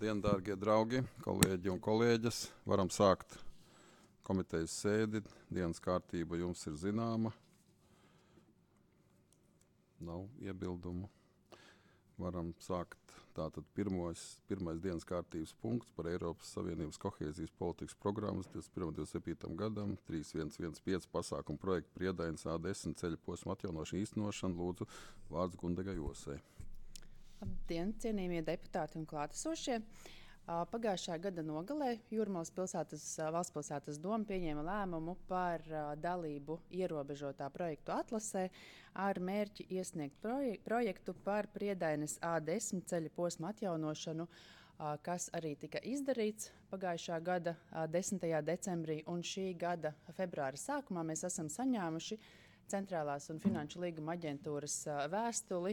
Labdien, dārgie draugi, kolēģi un kolēģes. Varam sākt komitejas sēdi. Dienas kārtība jums ir zināma. Nav iebildumu. Varam sākt tātad pirmais dienas kārtības punkts par Eiropas Savienības kohēzijas politikas programmas 21-27 gadam, 3115 pasākumu projektu Priedainas A10 ceļa posma atjaunošana īstenošana. Lūdzu, vārds Gundegai Osei. Labdien, cienījamie deputāti un klātesošie! Pagājušā gada nogalē Jūrmalas valsts pilsētas doma pieņēma lēmumu par dalību ierobežotā projektu atlasē ar mērķi iesniegt projektu par Priedainas A10 ceļa posma atjaunošanu, kas arī tika izdarīts pagājušā gada 10. decembrī, un šī gada februāra sākumā mēs esam saņēmuši Centrālās un Finanšu līguma aģentūras vēstuli,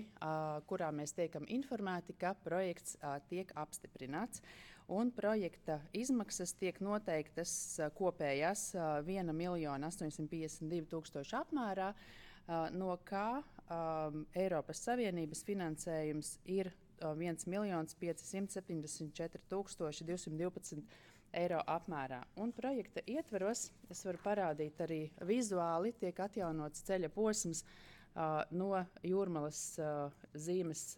kurā mēs tiekam informēti, ka projekts tiek apstiprināts. Un projekta izmaksas tiek noteiktas kopējās 1 852 000 apmērā, no kā Eiropas Savienības finansējums ir 1 574 212 eiro apmērā. Un projekta ietveros, es varu parādīt arī vizuāli, tiek atjaunots ceļa posms no Jūrmalas zīmes,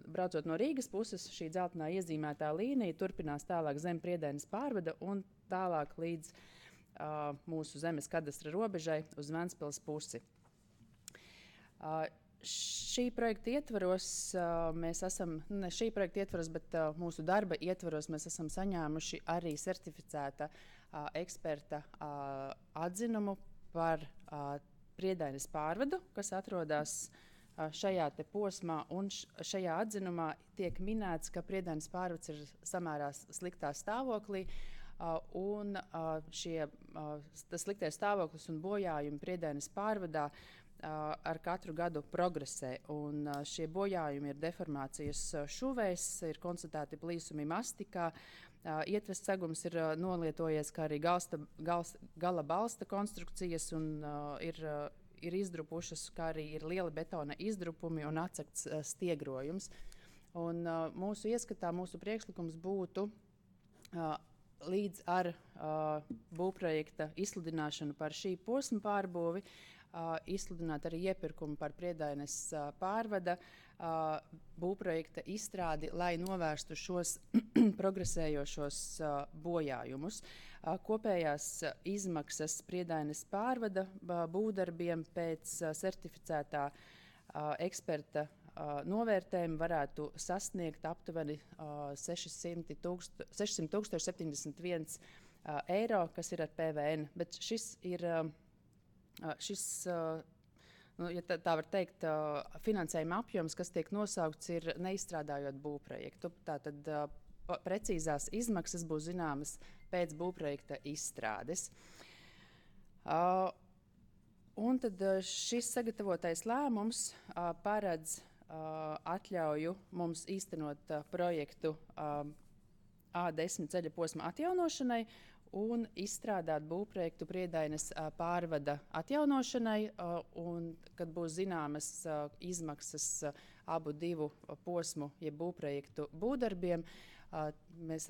braucot no Rīgas puses. Šī dzeltenā iezīmētā līnija turpinās tālāk zem Priedainas pārvada un tālāk līdz mūsu zemes kadastra robežai uz Ventspils pusi. Šī projekta ietvaros mēs esam, bet mūsu darba ietvaros mēs esam saņēmuši arī certificēta eksperta atzinumu par Priedainas pārvadu, kas atrodas šajā te posmā, un šajā atzinumā tiek minēts, ka Priedainas pārvads ir samērā sliktā stāvoklī, un tas sliktais stāvoklis un bojājumi Priedainas pārvadā ar katru gadu progresē, un šie bojājumi ir deformācijas šuvēs, ir konstatēti plīsumi mastikā, ietves segums ir nolietojies, kā arī gala balsta konstrukcijas, un ir izdrupušas, kā arī ir lieli betona izdrupumi un atsegts stiegrojums. Un mūsu ieskatā, mūsu priekšlikums būtu līdz ar būvprojekta izsludināšanu par šī posma pārbūvi, izsludināt arī iepirkumu par Priedainas pārvada būvprojekta izstrādi, lai novērstu šos progresējošos bojājumus. Kopējās izmaksas Priedainas pārvada būvdarbiem pēc certificētā eksperta novērtējumi varētu sasniegt aptuveni 600 071 eiro, kas ir ar PVN. Bet šis ir ja tā var teikt, finansējuma apjoms, kas tiek nosaukts, ir neizstrādājot būvprojektu. Tātad precīzās izmaksas būs zināmas pēc būvprojekta izstrādes. Un tad šis sagatavotais lēmums paredz atļauju mums īstenot projektu A10 ceļa posma atjaunošanai un izstrādāt būvprojektu Priedainas pārvada atjaunošanai, un kad būs zināmas izmaksas abu divu posmu, jeb būvprojektu būvdarbiem, mēs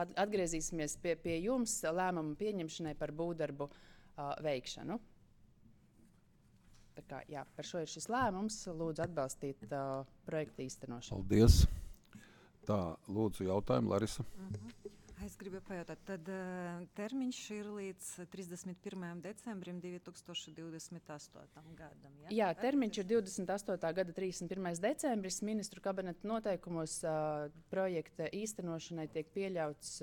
atgriezīsimies pie jums lēmumu pieņemšanai par būvdarbu veikšanu. Tā kā, jā, par šo ir šis lēmums. Lūdzu atbalstīt projektu īstenošanu. Paldies. Tā, lūdzu jautājumu, Larisa. Es gribu pajautāt, tad termiņš ir līdz 31. decembrim 2028. gadam, ja? Jā, termiņš ir 28. gada 31. decembris. Ministru kabineta noteikumos projekta īstenošanai tiek pieļauts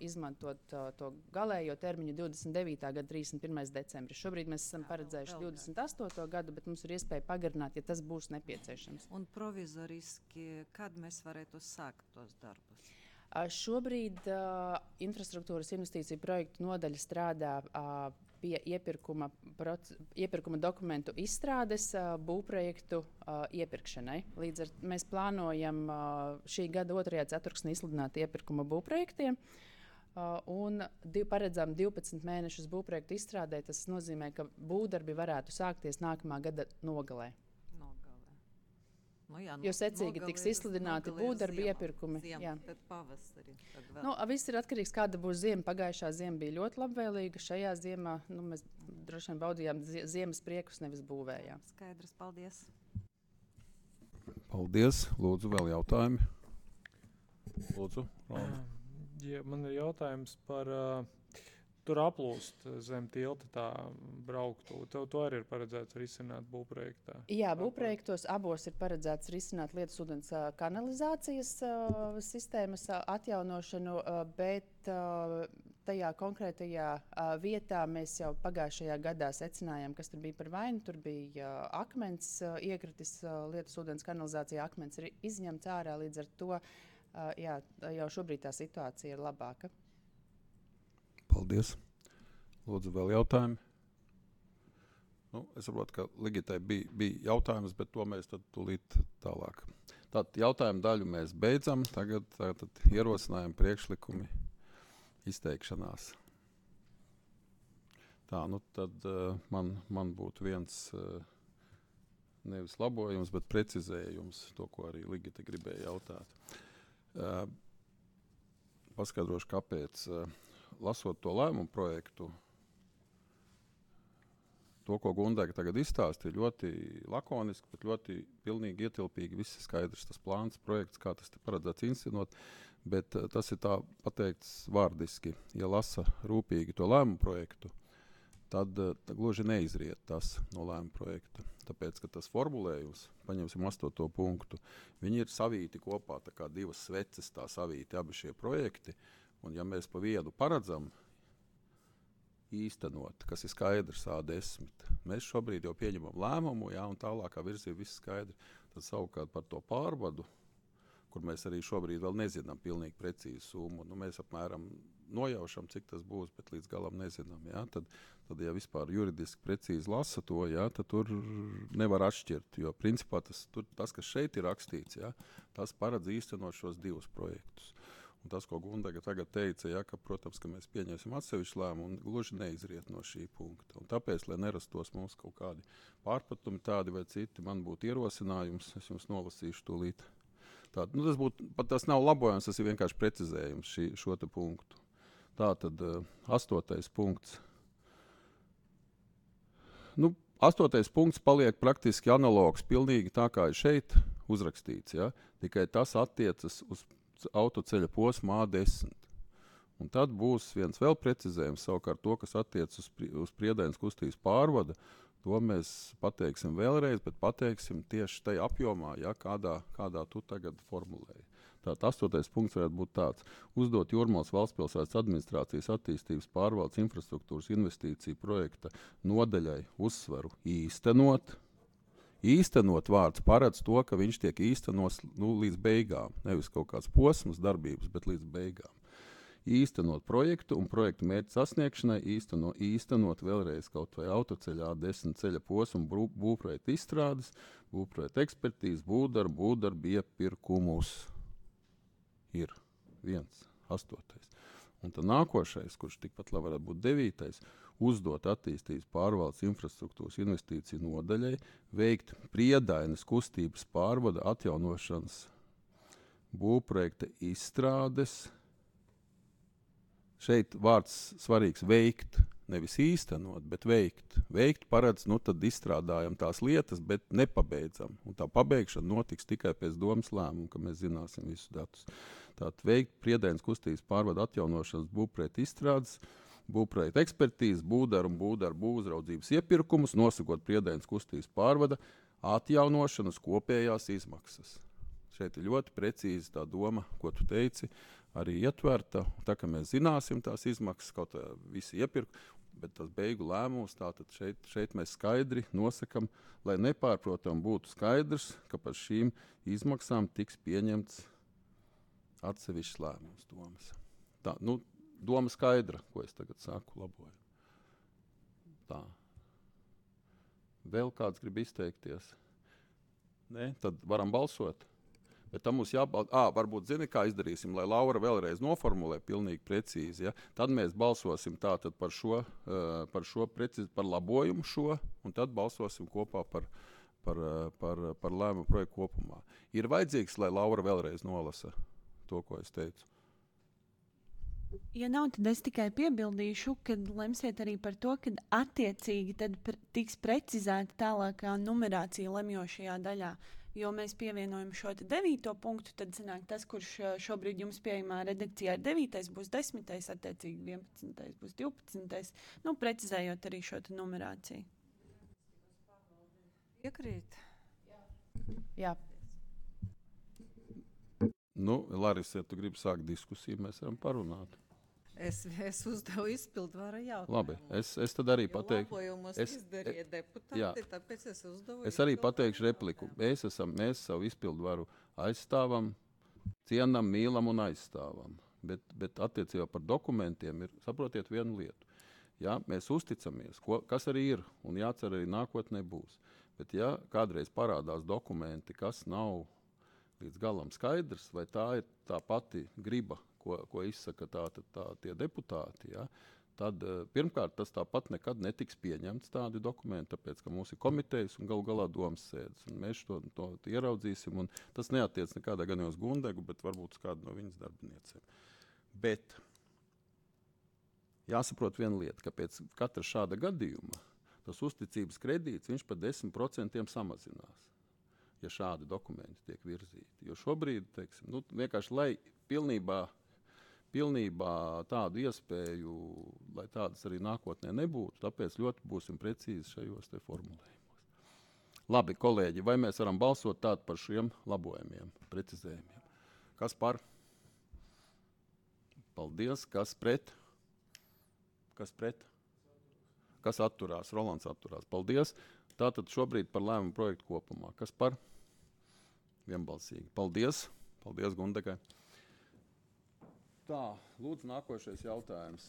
izmantot to galējo termiņu 29. gada 31. decembris. Šobrīd mēs esam paredzējuši 28. gadu, bet mums ir iespēja pagarināt, ja tas būs nepieciešams. Un provizoriski, kad mēs varētu sākt tos darbus? Šobrīd infrastruktūras investīciju projektu nodaļa strādā pie iepirkuma dokumentu izstrādes būvprojektu iepirkšanai. Līdz ar mēs plānojam šī gada 2. ceturksnī izsludināt iepirkuma būvprojektiem un paredzam 12 mēnešus būvprojektu izstrādē. Tas nozīmē, ka būvdarbi varētu sākties nākamā gada nogalē. Jo secīgi tiks izsludināti būvdarbi iepirkumi. Jā. Tad pavasari. Tad vēl. Nu, viss ir atkarīgs, kāda būs ziema. Pagājušā ziema bija ļoti labvēlīga. Šajā ziemā mēs droši vien baudījām ziemas priekus, nevis būvējām. Skaidrs, paldies. Paldies. Lūdzu, vēl jautājumi. Lūdzu, Rona. Ja, man ir jautājums par tur aplūst zem tilta tā brauktu. To arī ir paredzēts risināt būvprojektā. Jā, būvprojektos abos ir paredzēts risināt lietas ūdens kanalizācijas sistēmas atjaunošanu, bet tajā konkrētajā vietā mēs jau pagājušajā gadā secinājām, kas tur bija par vainu. Tur bija akmens iekritis lietas ūdens kanalizācijā, akmens ir izņemts ārā, līdz ar to jau šobrīd tā situācija ir labāka. Paldies. Lūdzu, vēl jautājumi. Es saprotu, ka Ligitai bija jautājums, bet to mēs tad tūlīt tālāk. Tātad jautājumu daļu mēs beidzam. Tagad ierosinājumi, priekšlikumi, izteikšanās. Tā, tad man būtu viens nevis labojums, bet precizējums, to, ko arī Ligita gribēja jautāt. Paskaidrošu, kāpēc. Lasot to lēmumu projektu, to, ko Gundega tagad izstāsta, ir ļoti lakoniski, bet ļoti pilnīgi ietilpīgi. Viss ir skaidrs, tas plāns, projekts, kā tas te paredzēts inscenot, bet tas ir tā pateikts vārdiski. Ja lasa rūpīgi to lēmumu projektu, tad gluži neizriet tas no lēmuma projekta. Tāpēc, ka tas formulējums, paņemsim 8. punktu, viņi ir savīti kopā, tā kā divas sveces tā savīti abi šie projekti. Un ja mēs pa vienu paredzam īstenot, kas ir skaidrs A10, mēs šobrīd jau pieņemam lēmumu, un tālākā virzība viss skaidri. Tad savukārt par to pārvadu, kur mēs arī šobrīd vēl nezinām pilnīgi precīzi summu, mēs apmēram nojaušam, cik tas būs, bet līdz galam nezinām. Tad ja vispār juridiski precīzi lasa to, tad tur nevar atšķirt, jo principā tas, kas šeit ir rakstīts, tas paredz īstenot šos divus projektus. Un tas, ko Gundega tagad teica, ka, protams, ka mēs pieņemsim atsevišķu lēmumu, un gluži neizriet no šī punkta. Un tāpēc, lai nerastos mums kaut kādi pārpratumi tādi vai citi, man būtu ierosinājums, es jums nolasīšu tūlīt. Tas nav labojums, tas ir vienkārši precizējums šo te punktu. Tātad 8. punkts. 8. punkts paliek praktiski analogs, pilnīgi tā kā ir šeit uzrakstīts, tikai tas attiecas uz autoceļa posmu A10. Un tad būs viens vēl precizējums, savukārt to, kas attiec uz Priedainas kustības pārvada, to mēs pateiksim vēlreiz, bet pateiksim tieši tajā apjomā, kādā tu tagad formulēji. Tātad 8. punkts varētu būt tāds. Uzdot Jūrmalas valstspilsētas administrācijas attīstības pārvaldes infrastruktūras investīciju projekta nodaļai uzsvaru īstenot. Īstenot vārds paredz to, ka viņš tiek īstenos līdz beigām. Nevis kaut kāds posms darbības, bet līdz beigām. Īstenot projektu un projektu mērķu sasniegšanai īstenot vēlreiz kaut vai autoceļā A10 ceļa posmu būvprojektu izstrādes, būvprojektu ekspertīzes, būvdarbu iepirkumus. Ir 8. Un tad nākošais, kurš tikpat labi varētu būt 9. Uzdot attīstības pārvaldes infrastruktūras investīciju nodaļai, veikt Priedainas kustības pārvada atjaunošanas būvprojekta izstrādes. Šeit vārds svarīgs veikt, nevis īstenot, bet veikt. Veikt paredz, tad izstrādājam tās lietas, bet nepabeidzam. Un tā pabeigšana notiks tikai pēc domas lēmuma, ka mēs zināsim visus datus. Tātad veikt Priedainas kustības pārvada atjaunošanas būvprojekta izstrādes, būvprojekta ekspertīzes, būvdarbu uzraudzības iepirkumus, nosakot Priedainas kustības pārvada atjaunošanas kopējās izmaksas. Šeit ir ļoti precīzi tā doma, ko tu teici, arī ietverta. Tā kā mēs zināsim tās izmaksas, kaut visi iepirkumi, bet tas beigu lēmums, tātad šeit mēs skaidri nosakam, lai nepārprotam būtu skaidrs, ka par šīm izmaksām tiks pieņemts atsevišķs lēmums domas. Tā, doma skaidra, ko es tagad saku, laboju. Tā. Vēl kāds grib izteikties? Nē, tad varam balsot. Bet tam mums varbūt zini, kā izdarīsim, lai Laura vēlreiz noformulē pilnīgi precīzi. Ja? Tad mēs balsosim tātad par labojumu šo, un tad balsosim kopā par par lēmumu projektu kopumā. Ir vajadzīgs, lai Laura vēlreiz nolasa to, ko es teicu. Ja nav, tad es tikai piebildīšu, ka lemsiet arī par to, ka attiecīgi tad tiks precizēta tālākā numerācija lemjošajā daļā. Jo mēs pievienojam šo 9. punktu, tad sanāk tas, kurš šobrīd jums pieejamā redakcijā ir 9. būs 10. attiecīgi 11. būs 12. Precizējot arī šo numerāciju. Piekrīt. Jā. Laris, ja tu gribi sākt diskusiju, mēs varam parunāt. Es uzdevu izpildvaru jautājumu. Labi, es tad arī pateikšu. Labojumus izdarīja deputāti, tāpēc es uzdevu Es arī pateikšu repliku. Mēs savu izpildvaru aizstāvam, cienam, mīlam un aizstāvam. Bet attiecībā par dokumentiem ir, saprotiet, vienu lietu. Ja, mēs uzticamies, kas arī ir, un jācer arī nākotnē būs. Bet ja kādreiz parādās dokumenti, kas nav līdz galam skaidrs, vai tā ir tā pati griba, ko izsaka tie deputāti, ja, tad pirmkārt tas tāpat nekad netiks pieņemts tādi dokumenti, tāpēc, ka mums ir komitejas un galu galā domas sēdes. Un mēs to ieraudzīsim, un tas neatiec nekādā gan uz Gundegu, bet varbūt uz kādu no viņas darbiniecēm. Bet jāsaprot viena lieta, ka pēc katra šāda gadījuma tas uzticības kredīts, viņš par 10% samazinās, ja šādi dokumenti tiek virzīti. Jo šobrīd, teiksim, vienkārši, lai pilnībā tādu iespēju, lai tādas arī nākotnē nebūtu, tāpēc ļoti būsim precīzi šajos te formulējumos. Labi, kolēģi, vai mēs varam balsot tādu par šiem labojumiem, precizējumiem? Kas par? Paldies. Kas pret? Kas pret? Kas atturās? Rolands atturās. Paldies. Tātad šobrīd par lēmumu projektu kopumā. Kas par? Vienbalsīgi. Paldies. Paldies, Gundegai. Tā, lūdzu, nākošais jautājums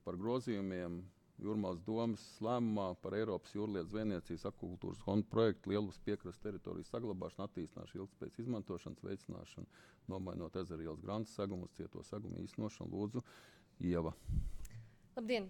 par grozījumiem Jūrmālas domes lēmumā par Eiropas jūrlietu zvejniecības akvakultūras fonda projektu Lielupes piekrastes teritorijas saglabāšanu, attīstināšanu, ilgtspējas izmantošanas veicināšanu, nomainot ezeru ielas grantas segumu uz cieto segumu īstenošanu. Lūdzu, Ieva. Labdien!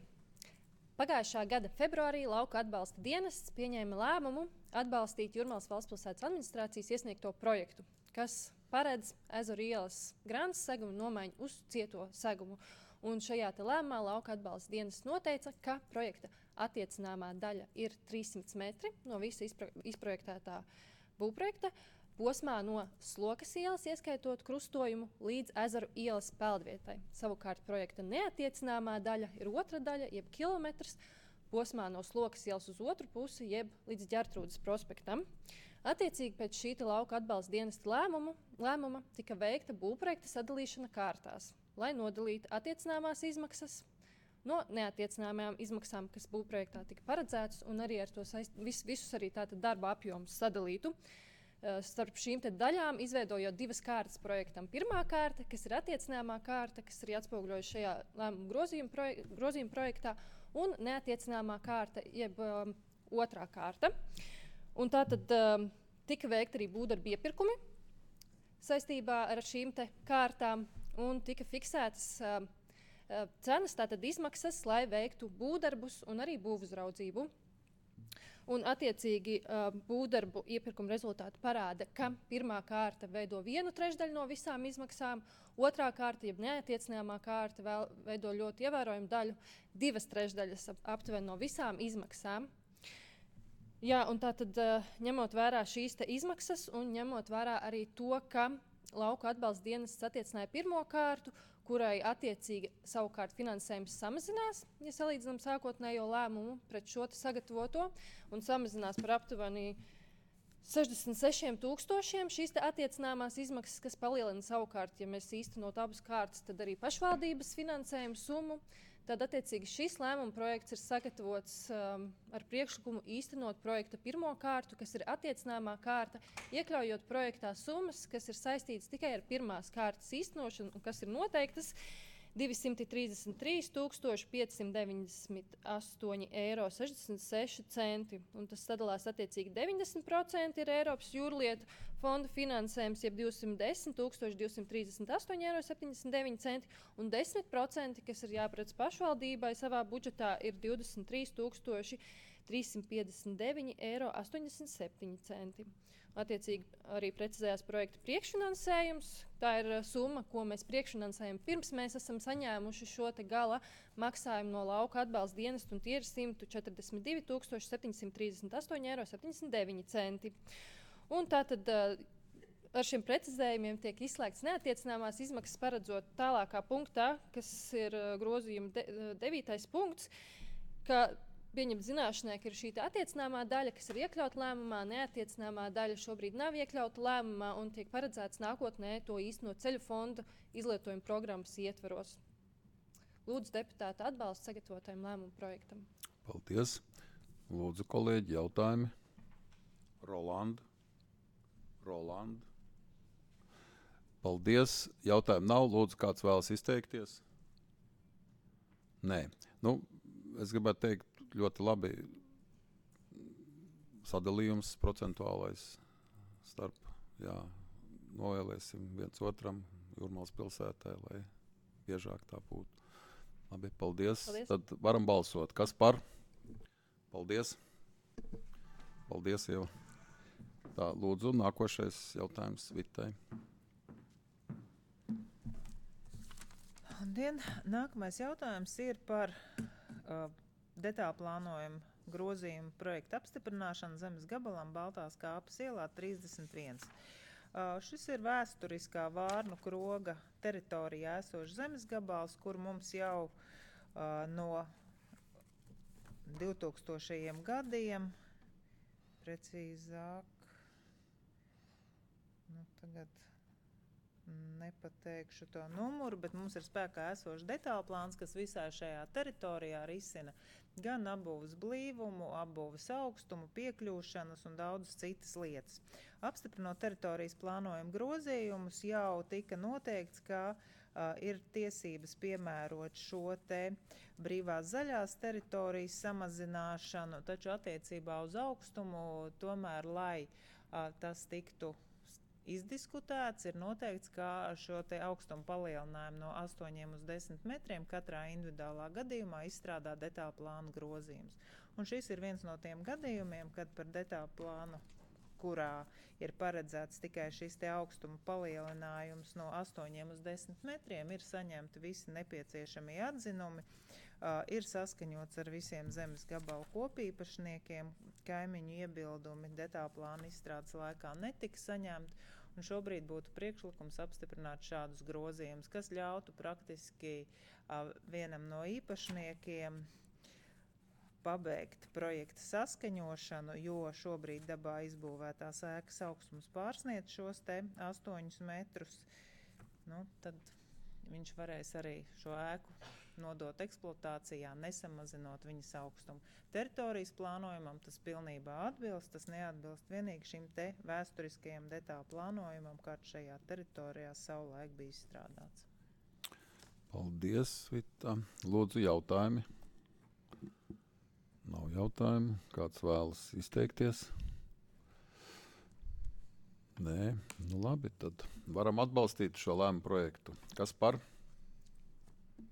Pagājušā gada februārī Lauka atbalsta dienests pieņēma lēmumu atbalstīt Jūrmālas valstspilsētas administrācijas iesniegto projektu, kas paredz ezeru ielas grantas segumu nomaiņu uz cieto segumu. Un šajā lēmumā Lauka atbalsta dienests noteica, ka projekta attiecināmā daļa ir 300 metri no visa izprojektētā būvprojekta posmā no Slokas ielas, ieskaitot krustojumu, līdz ezeru ielas peldvietai. Savukārt projekta neattiecināmā daļa ir otra daļa, jeb kilometrs, posmā no Slokas ielas uz otru pusi, jeb līdz Ģertrūdes prospektam. Attiecīgi pēc šī Lauka atbalsta dienesta lēmuma tika veikta būvprojekta sadalīšana kārtās, lai nodalītu attiecināmās izmaksas no neattiecināmajām izmaksām, kas būvprojektā tika paredzētas, un arī ar to visus arī darba apjomus sadalītu. Starp šīm daļām izveidojot divas kārtas projektam. Pirmā kārta, kas ir attiecināmā kārta, kas ir atspoguļojusi šajā lēmuma grozījuma projektā, un neattiecināmā kārta, jeb otrā kārta. Un tātad tika veikta arī būvdarbu iepirkumi saistībā ar šīm kārtām, un tika fiksētas cenas, tātad izmaksas, lai veiktu būvdarbus un arī būvuzraudzību. Un attiecīgi būvdarbu iepirkuma rezultāti parāda, ka pirmā kārta veido 1/3 no visām izmaksām, otrā kārta, jeb neattiecināmā kārta, veido ļoti ievērojumu daļu, 2/3 aptuveni no visām izmaksām. Jā, un tātad ņemot vērā šīs izmaksas un ņemot vērā arī to, ka Lauka atbalsta dienests attiecināja pirmo kārtu, kurai attiecīgi savukārt finansējums samazinās, ja salīdzinām sākotnējo lēmumu pret šo sagatavoto, un samazinās par aptuveni 66,000 šīs attiecināmās izmaksas, kas palielina savukārt, ja mēs īstenot abas kārtas, tad arī pašvaldības finansējumu summu. Tad attiecīgi šis lēmuma projekts ir sagatavots ar priekšlikumu īstenot projekta pirmo kārtu, kas ir attiecināmā kārta, iekļaujot projektā summas, kas ir saistītas tikai ar pirmās kārtas īstenošanu un kas ir noteiktas 233,598,66 €. Un tas sadalās attiecīgi 90% ir Eiropas jūrlietu fonda finansējums, jeb 210,238,79 €, un 10%, kas ir jāparedz pašvaldībai savā budžetā, ir 23 359,87 eiro. Attiecīgi arī precizējās projekta priekšfinansējums. Tā ir summa, ko mēs priekšfinansējam pirms mēs esam saņēmuši šo te gala maksājumu no lauka atbalsta dienesta, un tie ir 142 738,79 eiro. Un tātad ar šiem precizējumiem tiek izslēgts neattiecināmās izmaksas, paredzot tālākā punktā, kas ir grozījuma 9. punkts, ka pieņemt zināšanai, ka ir šī attiecināmā daļa, kas ir iekļauta lēmumā, neattiecināmā daļa šobrīd nav iekļauta lēmumā un tiek paredzēts nākotnē to īstenot ceļu fonda izlietojuma programmas ietvaros. Lūdzu deputāta atbalstu sagatavotajam lēmumu projektam. Paldies. Lūdzu, kolēģi, jautājumi. Rolanda. Paldies. Jautājumu nav. Lūdzu, kāds vēlas izteikties? Nē. Es gribētu teikt, ļoti labi sadalījums procentuālais starp, novēlēsim viens otram Jūrmalas pilsētā, lai biežāk tā būtu. Labi, paldies. Tad varam balsot. Kas par? Paldies. Paldies, Ieva. Tā, lūdzu, nākošais jautājums Vitai. Labdien! Nākamais jautājums ir par detālu plānojumu grozījumu projektu apstiprināšanu zemes gabalam Baltās kāpas ielā 31. Šis ir vēsturiskā Vārnu kroga teritorijā esošs zemes gabals, kur mums jau no 2000. gadiem, precīzāk, tagad nepateikšu to numuru, bet mums ir spēkā esošs detālu plāns, kas visā šajā teritorijā risina gan apbūves blīvumu, apbūves augstumu, piekļūšanas un daudzas citas lietas. Apstiprinot teritorijas plānojumu grozījumus, jau tika noteikts, ka ir tiesības piemērot šo te brīvās zaļās teritorijas samazināšanu, taču attiecībā uz augstumu tomēr, lai tas tiktu izdiskutēts, ir noteikts, ka šo te augstumu palielinājumu no 8 uz 10 metriem katrā individuālā gadījumā izstrādā detālu plānu grozījums. Un šis ir viens no tiem gadījumiem, kad par detālu plānu, kurā ir paredzēts tikai šis te augstuma palielinājums no 8 uz 10 metriem, ir saņemti visi nepieciešamie atzinumi, ir saskaņots ar visiem zemes gabalu kopīpašniekiem, kaimiņu iebildumi detālu plānu izstrādes laikā netika saņemti, un šobrīd būtu priekšlikums apstiprināt šādus grozījumus, kas ļautu praktiski vienam no īpašniekiem pabeigt projekta saskaņošanu, jo šobrīd dabā izbūvētās ēkas augstums pārsniedz šos te 8 metrus. Tad viņš varēs arī šo ēku nodot eksploatācijā, nesamazinot viņas augstumu. Teritorijas plānojumam tas pilnībā atbilst, tas neatbilst vienīgi šim te vēsturiskajam detālu plānojumam, kāds šajā teritorijā savulaik bija izstrādāts. Paldies, Vita. Lūdzu, jautājumi. Nav jautājumu. Kāds vēlas izteikties? Nē. Labi, tad varam atbalstīt šo lēmumu projektu. Kas par?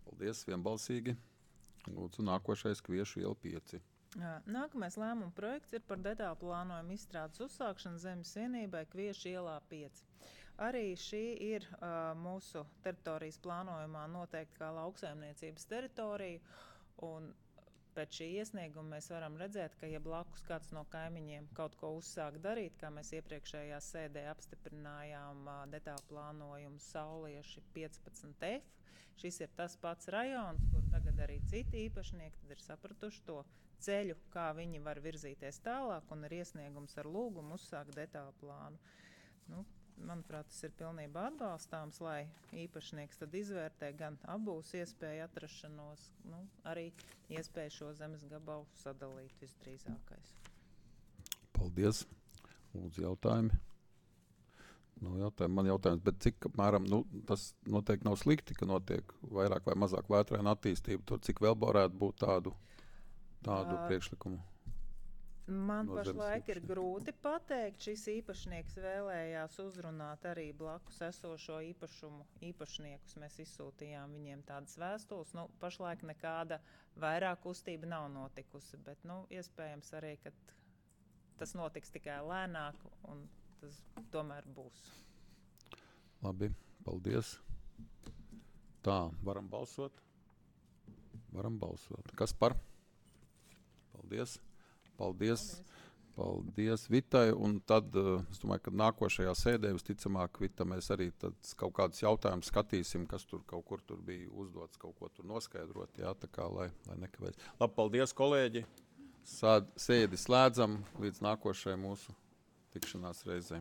Paldies, vienbalsīgi. Lūdzu, nākošais Kviešu iela 5. Nākamais lēmuma projekts ir par detālu plānojumu izstrādes uzsākšanu zemes vienībai Kviešu ielā 5. Arī šī ir mūsu teritorijas plānojumā noteikti kā lauksaimniecības teritorija, un pēc šī iesnieguma mēs varam redzēt, ka ja blakus kāds no kaimiņiem kaut ko uzsāk darīt, kā mēs iepriekšējā sēdē apstiprinājām detālu plānojumu Saulieši 15F, šis ir tas pats rajons, kur tagad arī citi īpašnieki tad ir sapratuši to ceļu, kā viņi var virzīties tālāk, un ir iesniegums ar lūgumu uzsākt detālu plānu. Manuprāt, tas ir pilnībā atbalstāms, lai īpašnieks tad izvērtē gan apbūves iespēju atrašanos, arī iespēju šo zemes gabalu sadalīt visdrīzākais. Paldies. Lūdzu, jautājumi. Nav jautājumu. Man jautājums, bet cik apmēram, tas noteikti nav slikti, ka notiek vairāk vai mazāk vētraina attīstība, tur cik vēl varētu būt tādu priekšlikumu? Man No zemes pašlaik ir īpašnieka. grūti pateikt. Šis īpašnieks vēlējās uzrunāt arī blakus esošo īpašumu īpašniekus. Mēs izsūtījām viņiem tādas vēstules. Pašlaik nekāda vairāk kustība nav notikusi, bet iespējams arī, ka tas notiks tikai lēnāk un tas tomēr būs. Labi, paldies. Tā, varam balsot? Varam balsot. Kas par? Paldies. Paldies Vitai. Un tad, es domāju, ka nākošajā sēdē visticamāk, Vita, mēs arī tad kaut kādus jautājumus skatīsim, kas tur kaut kur tur bija uzdots, kaut ko tur noskaidrot, jā, tā kā, lai nekavēs. Labi, paldies, kolēģi. Sēdi slēdzam līdz nākošajai mūsu tikšanās reizei.